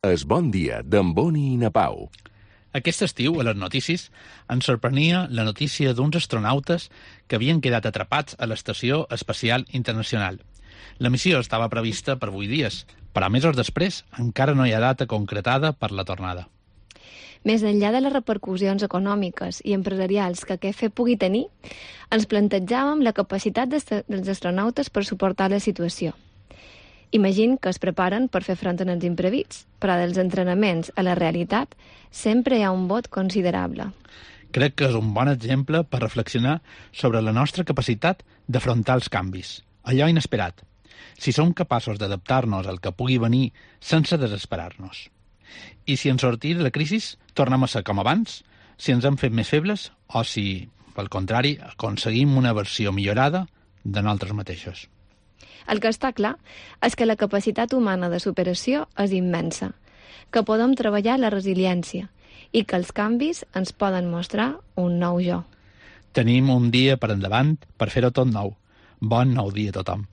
Es Bon Dia, d'en Boni i na Pau. Aquest estiu, a les notícies, ens sorprenia la notícia d'uns astronautes que havien quedat atrapats a l'Estació Espacial Internacional. La missió estava prevista per 8 dies, però mesos després encara no hi ha data concretada per la tornada. Més enllà de les repercussions econòmiques i empresarials que aquest fet pugui tenir, ens plantejàvem la capacitat dels astronautes per suportar la situació. Imagina que es preparen per fer front als imprevists, però dels entrenaments a la realitat sempre hi ha un vot considerable. Crec que és un bon exemple per reflexionar sobre la nostra capacitat d'afrontar els canvis, allò inesperat, si som capaços d'adaptar-nos al que pugui venir sense desesperar-nos. I si en sortir de la crisi tornem a ser com abans, si ens hem fet més febles o si, pel contrari, aconseguim una versió millorada de nosaltres mateixos. El que està clar és que la capacitat humana de superació és immensa, que podem treballar la resiliència i que els canvis ens poden mostrar un nou jo. Tenim un dia per endavant per fer-ho tot nou. Bon nou dia a tothom.